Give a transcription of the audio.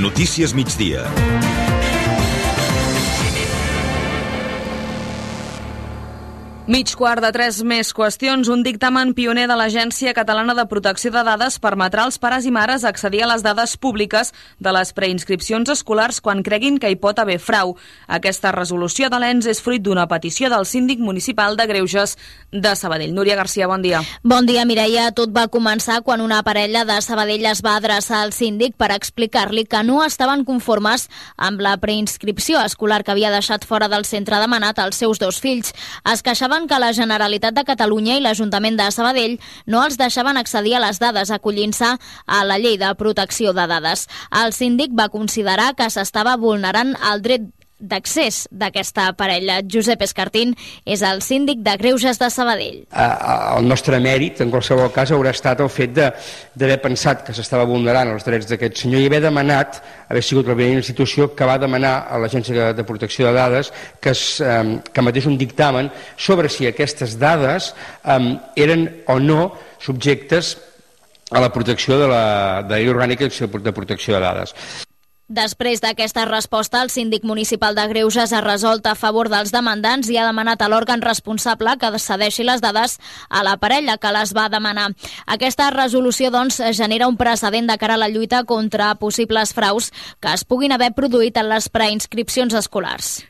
Notícies migdia. Mig quart de 3 més qüestions. Un dictamen pioner de l'Agència Catalana de Protecció de Dades permetrà als pares i mares accedir a les dades públiques de les preinscripcions escolars quan creguin que hi pot haver frau. Aquesta resolució de l'ENS és fruit d'una petició del síndic municipal de Greuges de Sabadell. Núria Garcia, bon dia. Bon dia, Mireia. Tot va començar quan una parella de Sabadell es va adreçar al síndic per explicar-li que no estaven conformes amb la preinscripció escolar que havia deixat fora del centre demanat als seus 2 fills. Es queixaven que la Generalitat de Catalunya i l'Ajuntament de Sabadell no els deixaven accedir a les dades acollint-se a la llei de protecció de dades. El síndic va considerar que s'estava vulnerant el dret d'accés d'aquesta parella. Josep Escartín és el síndic de Greuges de Sabadell. El nostre mèrit, en qualsevol cas, haurà estat el fet d'haver pensat que s'estava vulnerant els drets d'aquest senyor i haver demanat, haver sigut la primera institució que va demanar a l'Agència de Protecció de Dades que emetés un dictamen sobre si aquestes dades eren o no subjectes a la protecció de la Llei Orgànica de Protecció de Dades. Després d'aquesta resposta, el síndic municipal de Greuges ha resolt a favor dels demandants i ha demanat a l'òrgan responsable que cedeixi les dades a la parella que les va demanar. Aquesta resolució, doncs, genera un precedent de cara a la lluita contra possibles fraus que es puguin haver produït en les preinscripcions escolars.